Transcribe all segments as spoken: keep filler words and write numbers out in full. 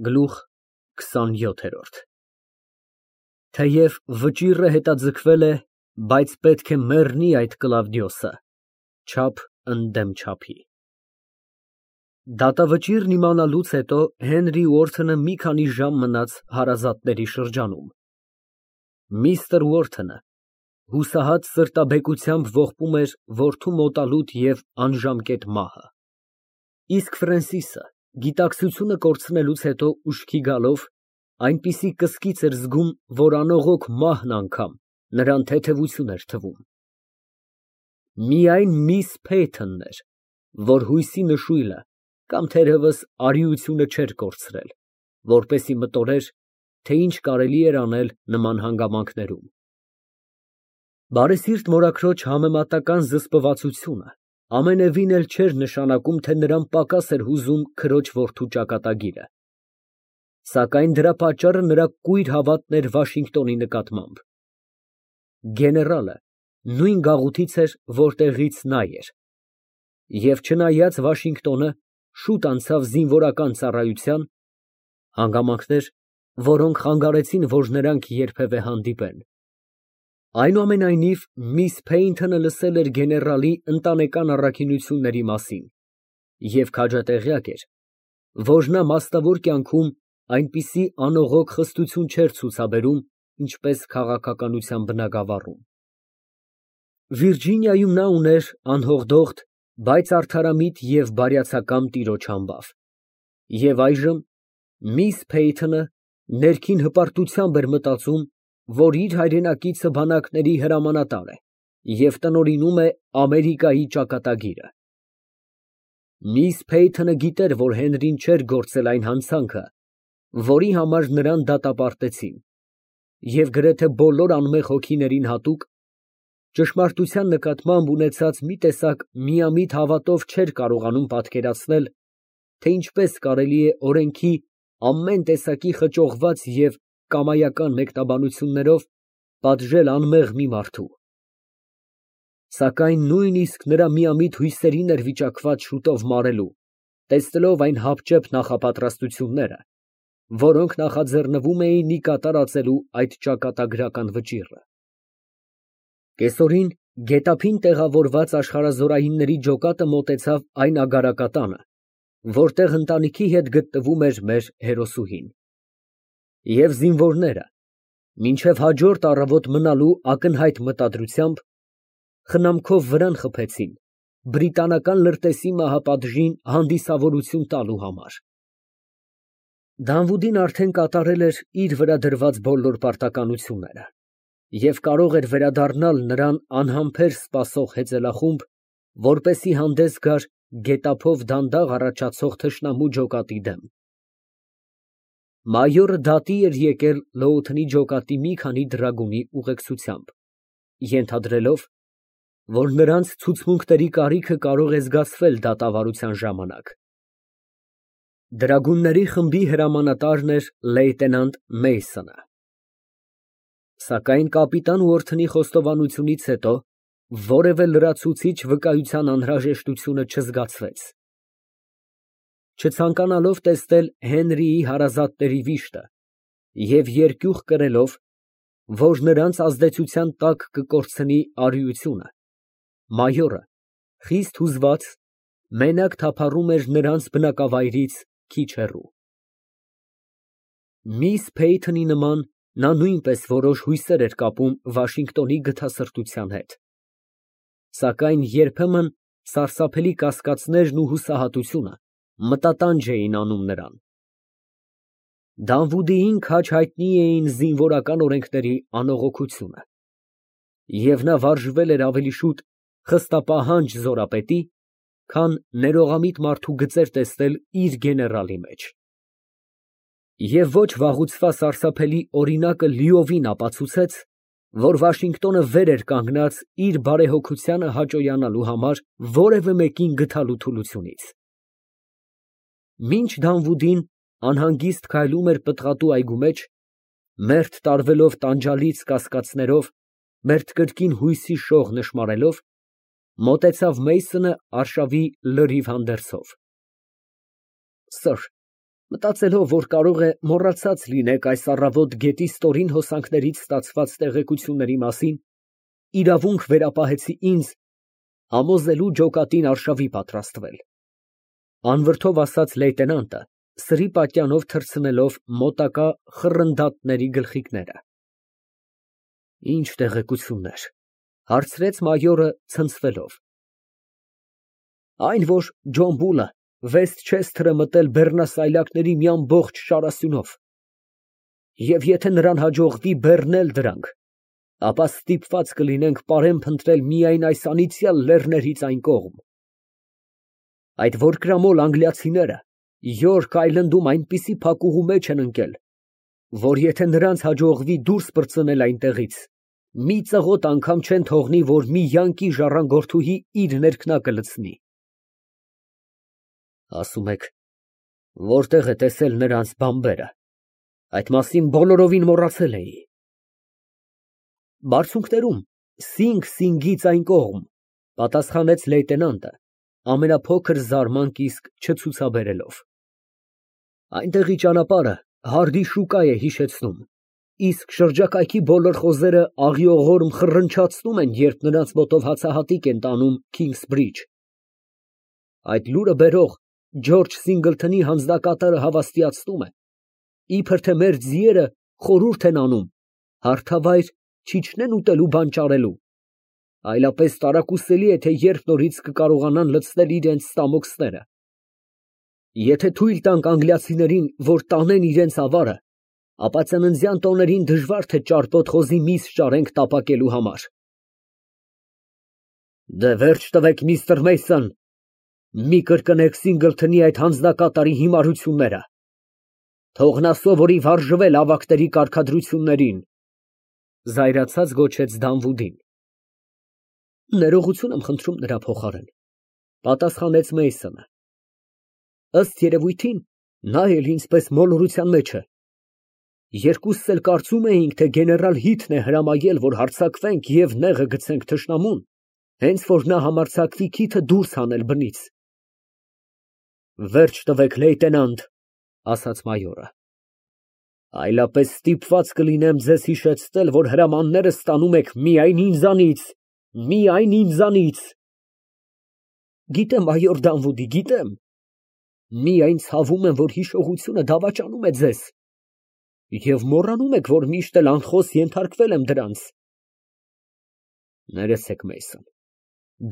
Գլուխ քսանյոթ։ Թեև վճիռը հետաձգվել է, բայց պետք է մեռնի այդ Կլավդիոսը, չափ ընդդեմ չափի։ Դատավճիռն իմանալուց հետո Հենրի Ուորթոնը մի քանի ժամ մնաց հարազատների շրջանում։ Միստր Ուորթոնը հուսահատ սրտաբեկությամբ ողբում էր որդու մոտալուտ և անժամկետ մահը, իսկ Ֆրենսիսը գիտակցությունը կորցնելուց հետո ուշքի գալով, այնպիսի կսկիծ էր զգում, որ անողոք մահն անգամ նրան թեթևություն էր թվում։ Միայն միս Փեյթոնն էր, որ հույսի նշույլը կամ թերևս արիությունը չէր կորցրել, որպեսզի մտորեր, թե ինչ կարելի էր անել նման հանգամանքներում։ Բարեսիրտ մորաքրոջ համեմատական զսպվածությունը ամենևին էլ չէր նշանակում, թե նրան պակաս էր հուզում քրոջ որդու ճակատագիրը, սակայն դրա պատճառը նրա կույր հավատն էր Վաշինգտոնի նկատմամբ։ Գեներալը նույն գաղութից էր, որտեղից նա էր, և չնայած Վաշինգտոնը շուտ անցավ զինվորական ծառայության (հանգամանքներ, որոնք խանգարեցին, որ նրանք երբևէ հանդիպեն), այնուամենայնիվ միս Փեյնթոնը լսել էր գեներալի ընտանեկան առաքինությունների մասին և քաջատեղյակ էր, որ նա մասնավոր կյանքում այնպիսի անողոք խստություն չէր ցուցաբերում, ինչպես քաղաքականության բնագավառում։ Վիրջինիայում նա ուներ անհողդողդ, բայց արդարամիտ և բարյացակամ տիրոջ համբավ, և այժմ միս Փեյթոնը ներքին հպարտությամբ էր մտածում, որ իր հայրենակիցը բանակների հրամանատար է և տնօրինում է Ամերիկայի ճակատագիրը։ Միս Փեյթոնը գիտեր, որ Հենրին չէր գործել այն հանցանքը, որի համար նրան դատապարտեցին, և գրեթե բոլոր անմեղ հոգիներին հատուկ, ճշմարտության նկատմամբ ունեցած մի տեսակ միամիտ հավատով չէր կարողանում պատկերացնել, թե ինչպես կարելի է օրենքի ամեն տեսակի խճողված և կամայական մեկնաբանություններով պատժել անմեղ մի մարդու։ Սակայն նույնիսկ նրա միամիտ հույսերին էր վիճակված շուտով մարելու, տեսնելով այն հապճեպ նախապատրաստությունները, որոնք նախաձեռնվում էին ի կատարածելու այդ ճակատագրական վճիռը։ Կեսօրին գետափին տեղավորված աշխարհազորայինների ջոկատը մոտեցավ այն ագարակատանը, որտեղ ընտանիքի հետ գտնվում էր մեր հերոսուհին, և զինվորները, մինչև հաջորդ առավոտ մնալու ակնհայտ մտադրությամբ, խնամքով վրան խփեցին բրիտանական լրտեսի մահապատժին հանդիսավորություն տալու համար։ Դանվուդին արդեն կատարել էր իր վրա դրված բոլոր պարտականությունները և կարող էր վերադառնալ նրան անհամբեր սպասող հեծելախումբ, որպեսզի հանդես գար գետափով դանդաղ առաջացող թշնամու ջոկատի դեմ։ Մայորը դատի էր եկել Լոութընի ջոկատի մի քանի դրագունի ուղեկցությամբ, ենթադրելով, որ նրանց ցուցմունքների կարիքը կարող է զգացվել դատավարության ժամանակ։ Դրագունների խմբի հրամանատարն էր լեյտենանտ Մեյսոնը։ Սակայն կապիտան Ուորթոնի խոստովանությունից հետո որևէ լրացուցիչ վկայության անհրաժեշտությունը չզգացվեց։ Չցանկանալով տեսնել Հենրիի հարազատների վիշտը և երկյուղ կրելով, որ նրանց ազդեցության տակ կկորցնի արիությունը, մայորը, խիստ հուզված, մենակ թափառում էր նրանց բնակավայրից քիչ հեռու։ Միս Փեյթոնի նման նա նույնպես որոշ հույսեր էր կապում Վաշինգտոնի գթասրտության հետ, սակայն երբեմն սարսափելի կասկածներն ու հուսահատությունը մտատանջ էին անում նրան։ Դանվուդիին քաջ հայտնի էին զինվորական օրենքների անողոքությունը, և նա վարժվել էր ավելի շուտ խստապահանջ զորապետի, քան ներողամիտ մարդու գծեր տեսնել իր գեներալի մեջ։ Եվ ոչ վաղուցվա սարսափելի օրինակը լիովին ապացուցեց, որ Վաշինգտոնը վեր էր կանգնած իր բարեհոգությանը հաճոյանալու համար որևէ մեկին գթալու թուլությունից։ Մինչ Դանվուդին անհանգիստ քայլում էր պտղատու այգու մեջ, մերթ տարվելով տանջալից կասկածներով, մերթ կրկին հույսի շող նշմարելով, մոտեցավ Մեյսոնը արշավի լրիվ հանդերձով։ ֊ Սըր, Մտածելով, որ կարող է մոռացած լինեք այս առավոտ գետի ստորին հոսանքներից ստացված տեղեկությունների մասին, իրավունք վերապահեցի ինձ համոզելու ջոկատին արշավի պատրաստվել, ֊ անվրդով ասաց լեյտենանտը, սրի պատյանով թռցնելով մոտակա խռնդատների գլխիկները։ ֊ Ի՞նչ տեղեկություններ, ֊ հարցրեց մայորը ցնցվելով։ ֊ Այն, որ Ջոն Բուլը Վեսթչեսթերը մտել բեռնասայլակների մի ամբողջ շարասյունով, և եթե նրան հաջողվի բեռնել դրանք, ապա ստիպված կլինենք պարեն փնտրել միայն այս անիծյալ լեռներից այն կողմ։ Այդ որկրամոլ անգլիացիները Յորք Այլնդում այնպիսի փակուղու մեջ են ընկել, որ եթե նրանց հաջողվի դուրս պրծնել այնտեղից, մի ծղոտ անգամ չեն թողնի, որ մի յանկի ժառանգորդուհի իր ներքնակը լցնի։ Ասում եք, որտեղ է տեսել նրանց բամբերը, այդ մասին բոլորովին մոռացել էի։ Բարձունքներում, Սինգ Սինգից այն կողմ, ֊ պատասխանեց լեյտենանտը, ամենափոքր զարմանք իսկ չցուցաբերելով։ Այնտեղի ճանապարհը Հարդի շուկա է հիշեցնում, իսկ շրջակայքի բոլոր խոզերը աղիողորմ խռնչացնում են, երբ նրանց մոտով հացահատիկ են տանում Քինգսբրիջ։ Այդ լուրը բերող Ջորջ Սինգլթոնի հանձնակատարը հավաստիացնում է, իբր թե մեր ձիերը խորհուրդ են անում հարթավայր չիջնեն ուտելու բան ճարելու, այլապես տարակուսելի է, թե երբ նորից կկարողանան լցնել իրենց ստամոքսները։ Եթե թույլ տանք անգլիացիներին, որ տանեն իրենց ավարը, ապա ծննդյան տոներին դժվար թե ճարպոտ խոզի միս ճարենք տապակելու համար։ Դե վերջ տվեք, միստր Մեյսոն, մի կրկնեք Սինգլթոնի այդ հանձնակատարի հիմարությունները, թող նա սովորի վարժվել ավագների կարգադրություններին, ֊ զայրացած գոչեց Դանվուդին։ Ներողություն եմ խնդրում նրա փոխարեն, ֊ պատասխանեց Մեյսոնը։ Ըստ երևույթին, նա էլ ինձպես մոլորության մեջ է։ Երկուսս էլ կարծում էինք, թե գեներալ Հիթն է հրամայել, որ հարձակվենք և նեղը գցենք թշնամուն, հենց որ նա համարձակվի քիթը դուրս հանել բնից։ Վերջ տվեք, լեյտենանտ, ֊ ասաց մայորը, այլապես ստիպված կլինեմ ձեզ հիշեցնել, որ հրամանները ստանում եք միայն ինձանից, միայն ինձանից։ Գիտեմ, մայոր Դանվուդի, գիտեմ, միայն ցավում եմ, որ հիշողությունը դավաճանում է ձեզ, և մոռանում եք, որ միշտ էլ անխոս ենթարկվել եմ դրանց։ Ներեցեք, Մեյսոն,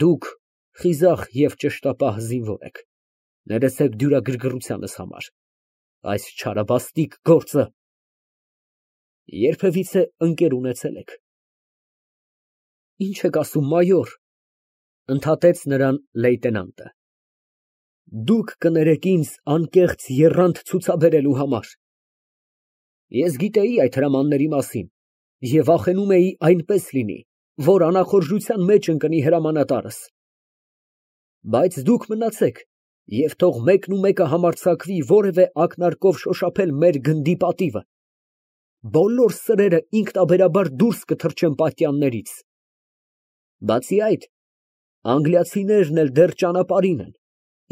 դուք խիզախ և ճշտապահ զինվոր եք, ներեցեք դյուրագրգռությանս համար, այս չարաբաստիկ գործը երբևիցե ընկեր ունեցե՞լ եք։ Ինչ եք ասում, մայոր, ֊ ընդհատեց նրան լեյտենանտը։ Դուք կներեք ինձ անկեղծ եռանդ ցուցաբերելու համար։ Ես գիտեի այդ հրամանների մասին և վախենում էի այնպես լինի, որ անախորժության մեջ ընկնի հրամանատարս։ Բայց դուք մնացեք և թող մեկնումեկը համարձակվի որևէ ակնարկով շոշափել մեր գնդի պատիվը, բոլոր սրերը ինքնաբերաբար դուրս կթռչեն պատյաններից։ Բացի այդ, անգլիացիներն էլ դեռ ճանապարհին են,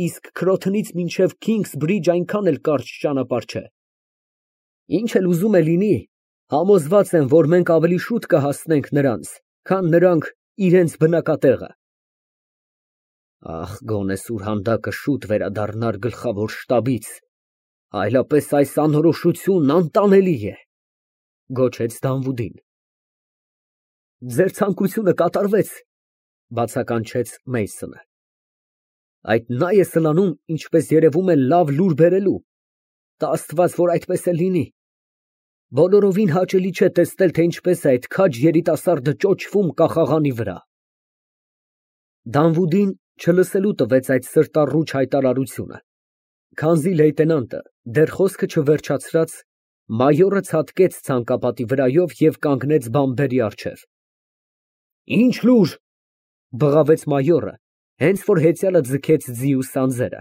իսկ Քրոթոնից մինչև Քինգսբրիջ այնքան էլ կարճ ճանապարհ չէ։ Ինչ էլ ուզում է լինի, համոզված եմ, որ մենք ավելի շուտ կհասնենք նրանց, քան նրանք իրենց բնակատեղը։ Ախ, գոնե սուրհանդակը շուտ վերադառնար գլխավոր շտաբից, այլապես այս անորոշությունն անտանելի է, ֊ գոչեց Դանվուդին։ Ձեր ցանկությունը կատարվեց, ֊ բացականչեց Մեյսոնը։ Այդ նա է սլանում, ինչպես երևում է, լավ լուր բերելու, տա Աստված, որ այդպես էլ լինի։ Բոլորովին հաճելի չէ տեսնել, թե ինչպես է այդ քաջ երիտասարդը ճոճվում կախաղանի վրա։ Դանվուդին չլսելու տվեց այդ սրտառուչ հայտարարությունը, քանզի լեյտենանտը դեռ խոսքը չվերջացրած, մայորը ցատկեց ցանկապատի վրայով և կանգնեց բամբերի առջև։ Ինչ լուր, ֊ բղավեց մայորը, հենց որ հեծյալը ձգեց ձիու սանձերը։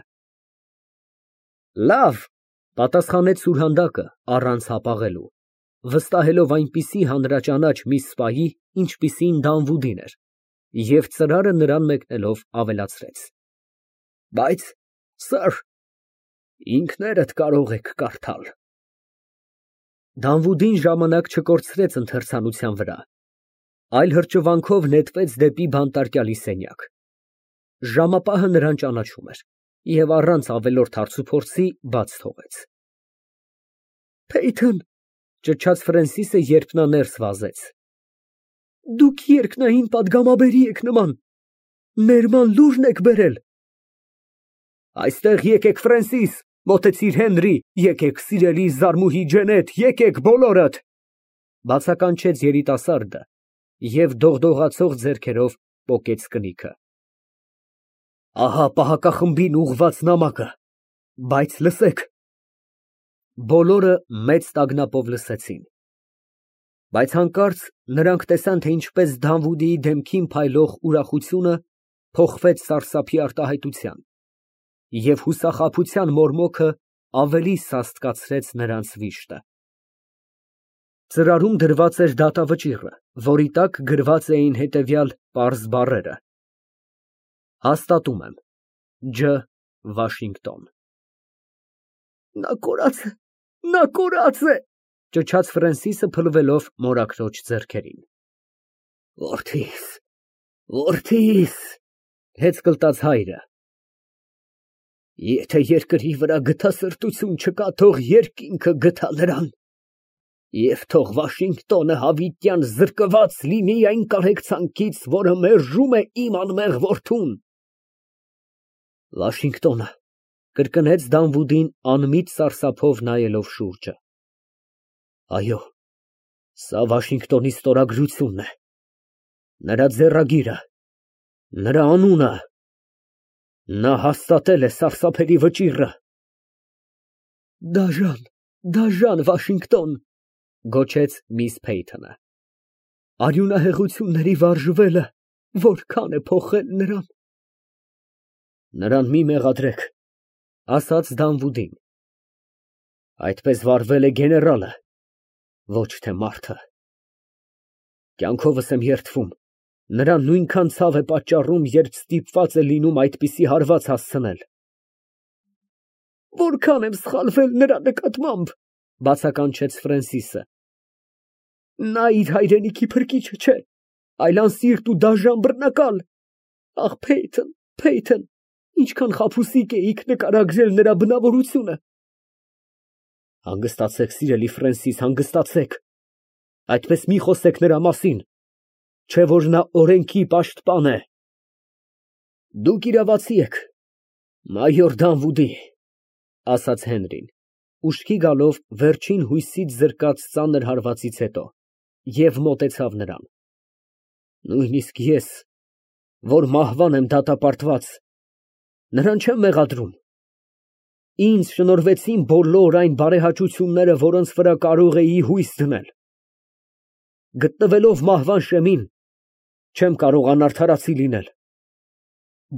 Լավ, ֊ պատասխանեց սուրհանդակը առանց հապաղելու, վստահելով այնպիսի հանրաճանաչ մի սպայի, ինչպիսին Դանվուդին էր, և ծրարը նրան մեկնելով ավելացրեց. Բայց, սըր, Ինքներդ կարող եք կարդալ։ Դանվուդին ժամանակ չկորցրեց ընթերցանության վրա, այլ հրճվանքով նետվեց դեպի բանտարկյալի սենյակ։ Ժամապահը նրան ճանաչում էր և առանց ավելորդ հարցուփորձի բաց թողեց։ Փեյթոն, ճչաց Ֆրենսիսը, երբ նա ներս վազեց, դուք երկնային պատգամաբերի եք նման, ներման լուրն եք բերել։ Այստեղ եկեք, Ֆրենսիս, մոտեցիր Հենրի, եկեք, սիրելի զարմուհի Ջենետ, եկեք բոլորդ, բացականչեց երիտասարդը և դողդողացող ձեռքերով պոկեց կնիքը։ Ահա պահակախմբին ուղղված նամակը, բայց լսեք։ Բոլորը մեծ տագնապով լսեցին, բայց հանկարծ նրանք տեսան, թե ինչպես Դանվուդիի դեմքին փայլող ուրախությունը փոխվեց սարսափի արտահայտության, և հուսախաբության մորմոքը ավելի սաստկացրեց նրանց վիշտը։ Ծրարում դրված էր դատավճիռը, որի տակ գրված էին հետևյալ պարզ բառերը. Հաստատում եմ, Ջ. Վաշինգտոն։ Նա կորած է, նա կորած է, ճչաց Ֆրենսիսը, փլվելով մորաքրոջ ձեռքերին։ Որդիս, որդիս, հեծկլտաց հայրը։ Եթե երկրի վրա գթասրտություն չկա, թող երկինքը գթա նրան, և թող Վաշինգտոնը հավիտյան զրկված լինի այն կարեկցանքից, որը մերժում է իմ անմեղ որդուն։ Վաշինգտոնը, կրկնեց Դանվուդին, անմիտ սարսափով նայելով շուրջը։ Այո, սա Վաշինգտոնի ստորագրությունն է, նրա ձեռագիրը, նրա անունը, նա հաստատել է սարսափելի վճիռը։ Դաժան, դաժան Վաշինգտոն, գոչեց միս Փեյթոնը։ Արյունահեղությունների վարժվելը որքան է փոխել նրան։ Նրան մի մեղադրեք, ասաց Դանվուդին։ Այդպես վարվել է գեներալը, ոչ թե մարդը։ Կյանքովս եմ երդվում, նրան նույնքան ցավ է պատճառում, երբ ստիպված է լինում այդպիսի հարված հասցնել։ Որքան եմ սխալվել նրա նկատմամբ, բացականչեց Ֆրենսիսը։ Նա իր հայրենիքի փրկիչը չէ, այլ անսիրտ ու դաժան բռնակալ։ Ախ, Փեյթոն, Փեյթոն, ինչքան խաբուսիկ էիք նկարագրել նրա բնավորությունը։ Հանգստացեք, սիրելի Ֆրենսիս, հանգստացեք, այդպես մի խոսեք նրա մասին, չէ որ նա օրենքի պաշտպան է։ Դուք իրավացի եք, մայոր Դանվուդի, ասաց Հենրին, ուշքի գալով վերջին հույսից զրկած ծանր հարվածից հետո, և մոտեցավ նրան։ Նույնիսկ ես, որ մահվան եմ դատապարտված, նրան չեմ մեղադրում։ Ինձ շնորհվեցին բոլոր այն բարեհաճությունները, որոնց վրա կարող էի հույս դնել։ Գտնվելով մահվան շեմին, չեմ կարող անարդարացի լինել։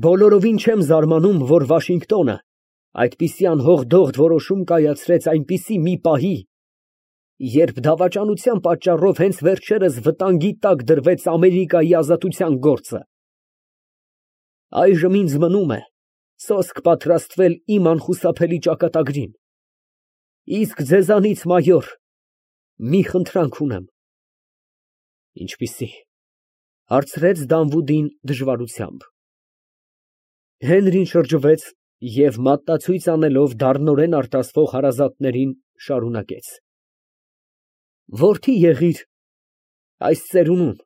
Բոլորովին չեմ զարմանում, որ Վաշինգտոնը այդպիսի անհող-դողդ որոշում կայացրեց այնպիսի մի պահի, երբ դավաճանության պատճառով հենց վերջերս վտանգի տակ դրվեց Ամերիկայի ազատության գործը։ Այժմ ինձ մնում է սոսկ պատրաստվել իմ անխուսափելի ճակատագրին։ Իսկ ձեզանից, մայոր, մի խնդրանք ունեմ։ Ինչպիսի՞, հարցրեց Դանվուդին դժվարությամբ։ Հենրին շրջվեց և մատնացույց անելով դառնորեն արտասվող հարազատներին շարունակեց. Որդի եղիր այս ծերունուն,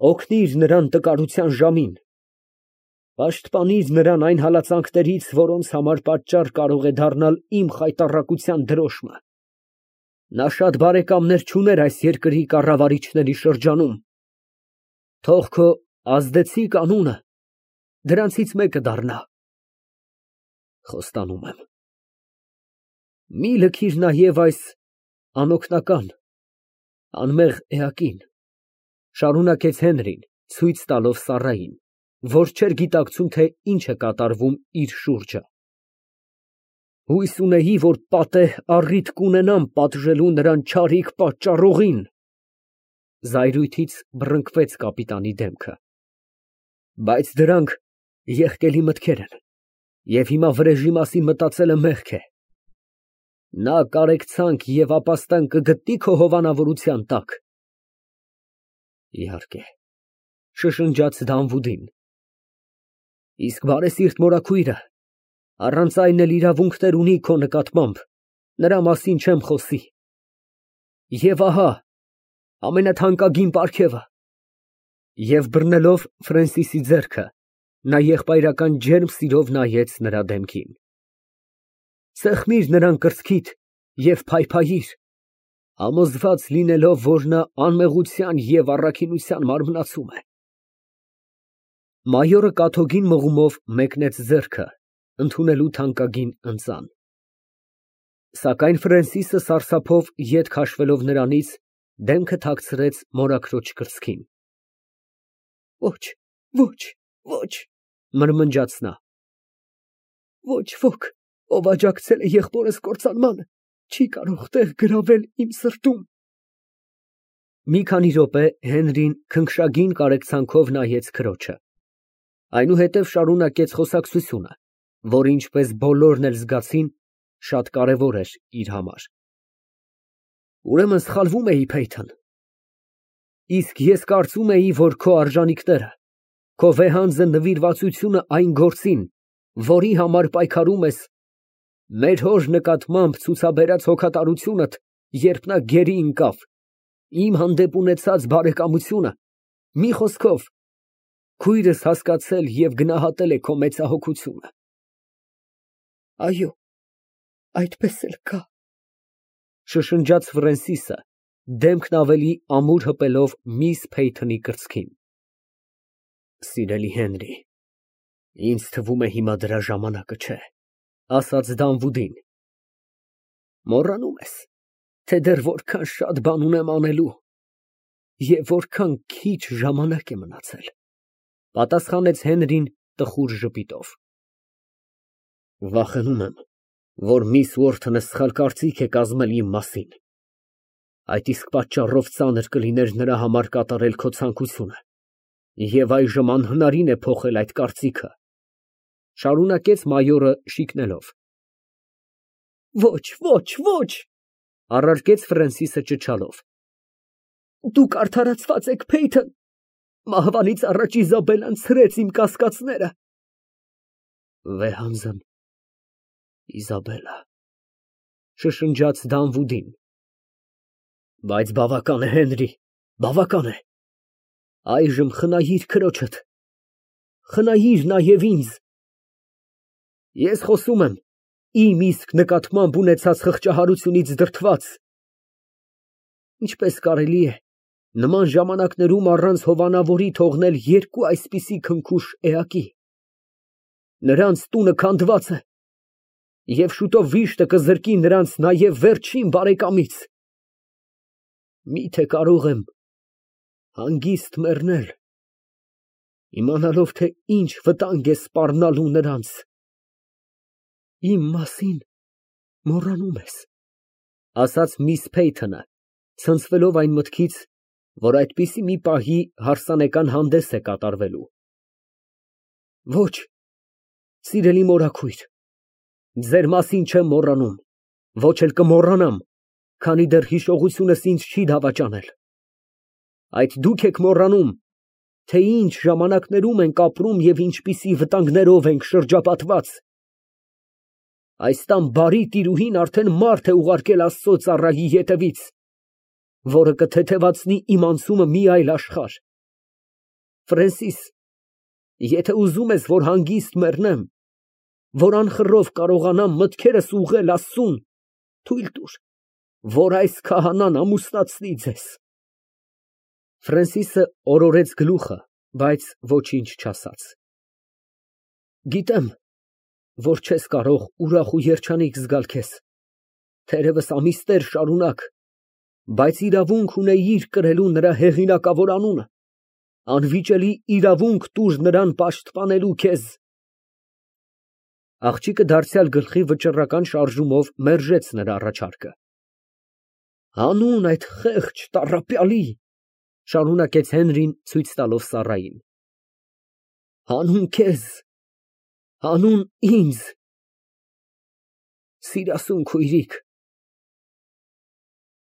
օգնիր նրան տկարության ժամին, պաշտպանիր նրան այն հալածանքներից, որոնց համար պատճառ կարող է դառնալ իմ խայտառակության դրոշմը։ Նա շատ բարեկամներ չուներ այս երկրի կառավարիչների շրջանում։ Թող քո ազդեցիկ անունը դրանցից մեկը դառնա։ Խոստանում եմ։ Մի լքիր նաև այս անօգնական, անմեղ էակին, շարունակեց Հենրին, ցույց տալով Սառային, որ չէր գիտակցում, թե ինչ է կատարվում իր շուրջը։ Հույս ունեի, որ պատեհ առիթ կունենամ պատժելու նրան չարիք պատճառողին։ Զայրույթից բռնկվեց կապիտանի դեմքը։ Բայց դրանք եղկելի մտքեր են։ Եվ հիմա վրեժի մասին մտածելը մեղք է։ Նա կարեկցանք և ապաստան կգտնի քո հովանավորության տակ։ Իհարկե, շշնջաց Դանվուդին։ Իսկ բարեսիրտ մորաքույրը առանց այն էլ իրավունքներ ունի քո նկատմամբ, նրա մասին չեմ խոսի։ Եվ ահա ամենաթանկագին պարգևը։ Եվ բռնելով Ֆրենսիսի ձեռքը, նա եղբայրական ջերմ սիրով նայեց նրա դեմքին։ Սեղմիր նրան կրծքիդ և փայփայիր, համոզված լինելով, որ նա անմեղության և առաքինության մարմնացում է։ Մայորը կաթոգին մղումով մեկնեց ձեռքը, ընդունելու թանկագին ընծան։ Սակայն Ֆրենսիսը սարսափով ետ քաշվելով նրանից, դեմքը թաքցրեց մորաքրոջ կրծքին։ Ոչ, ոչ, ոչ, մրմնջաց նա։ Ոչ ոք, ով աջակցել է եղբորս կործանմանը, չի կարող տեղ գրավել իմ սրտում։ Մի քանի րոպե Հենրին քնքշագին կարեկցանքով նայեց քրոջը, այնուհետև շարունակեց խոսակցությունը, որը, ինչպես բոլորն էլ զգացին, շատ կարևոր էր իր համար։ Ուրեմն սխալվում էի, Փեյթոն։ Իսկ ես կարծում էի, որ քո արժանիքները, քո վեհանձն նվիրվածությունը այն գործին, որի համար պայքարում ես, մեր հոր նկատմամբ ցուցաբերած հոգատարությունդ, երբ նա գերի ընկավ, իմ հանդեպ ունեցած բարեկամությունը, մի խոսքով, քույրս հասկացել և գնահատել է քո մեծահոգությունը։ Այո, այդպես էլ կա, շշնջաց Ֆրենսիսը, դեմքն ավելի ամուր հպելով միս Փեյթոնի կրծքին։ Սիրելի Հենրի, ինձ թվում է հիմա դրա ժամանակը չէ, ասաց Դանվուդին։ Մոռանում ես, թե դեռ որքան շատ բան ունեմ անելու և որքան քիչ ժամանակ է մնացել, պատասխանեց Հենրին տխուր ժպիտով։ Վախենում եմ, որ միս Ուորթոնը սխալ կարծիք է կազմել իմ մասին, այդ իսկ պատճառով ծանր կլիներ նրա համար կատարել քո ցանկությունը, և այժմ անհնարին է փոխել այդ կարծիքը, շարունակեց մայորը շիկնելով։ Ոչ, ոչ, ոչ, առարկեց Ֆրենսիսը ճչալով։ Դուք արդարացված եք, Փեյթոն, մահվանից առաջ Իզաբելլան ցրեց իմ կասկածները։ Վեհանձն Իզաբելլա, շշնջաց Դանվուդին։ Բայց բավական է, Հենրի, բավական է։ Այժմ խնայիր քրոջդ, խնայիր նաև ինձ։ Ես խոսում եմ իմ իսկ նկատմամբ ունեցած խղճահարությունից դրդված։ Ինչպես կարելի է նման ժամանակներում առանց հովանավորի թողնել երկու այսպիսի քնքուշ էակի։ Նրանց տունը քանդված է, և շուտով վիշտը կզրկի նրանց նաև վերջին բարեկամից։ Միթե կարող եմ հանգիստ մեռնել, իմանալով, թե ինչ վտանգ է սպառնալու նրանց։ Իմ մասին մոռանում ես, ասաց միս Փեյթոնը, ցնցվելով այն մտքից, որ այդպիսի մի պահի հարսանեկան հանդես է կատարվելու։ Ոչ, սիրելի մորաքույր, ձեր մասին չեմ մոռանում, ոչ էլ կմոռանամ, քանի դեռ հիշողությունս ինձ չի դավաճանել։ Այդ դուք եք մոռանում, թե ինչ ժամանակներում ենք ապրում և ինչպիսի վտանգներով ենք շրջապատված։ Այս տան բարի տիրուհին արդեն մարդ է ուղարկել Աստծո ծառայի ետևից, որը կթեթևացնի իմ անցումը մի այլ աշխարհ։ Ֆրենսիս, եթե ուզում ես, որ հանգիստ մեռնեմ, որ անխռով կարողանամ մտքերս ուղղել Աստծուն, թույլ տուր, որ այս քահանան ամուսնացնի ձեզ։ Ֆրենսիսը օրորեց գլուխը, բայց ոչինչ չասաց։ Գիտեմ, որ չես կարող ուրախ ու երջանիկ զգալ քեզ, թերևս ամիսներ շարունակ, բայց իրավունք ունեիր կրելու նրա հեղինակավոր անունը, անվիճելի իրավունք տուր նրան պաշտպանելու քեզ։ Աղջիկը դարձյալ գլխի վճռական շարժումով մերժեց նրա առաջարկը։ Հանուն այդ խեղճ տառապյալի, շարունակեց Հենրին ցույց տալով Սառային, հանուն քեզ, Հանուն ինձ։ Սիրասուն քույրիկ։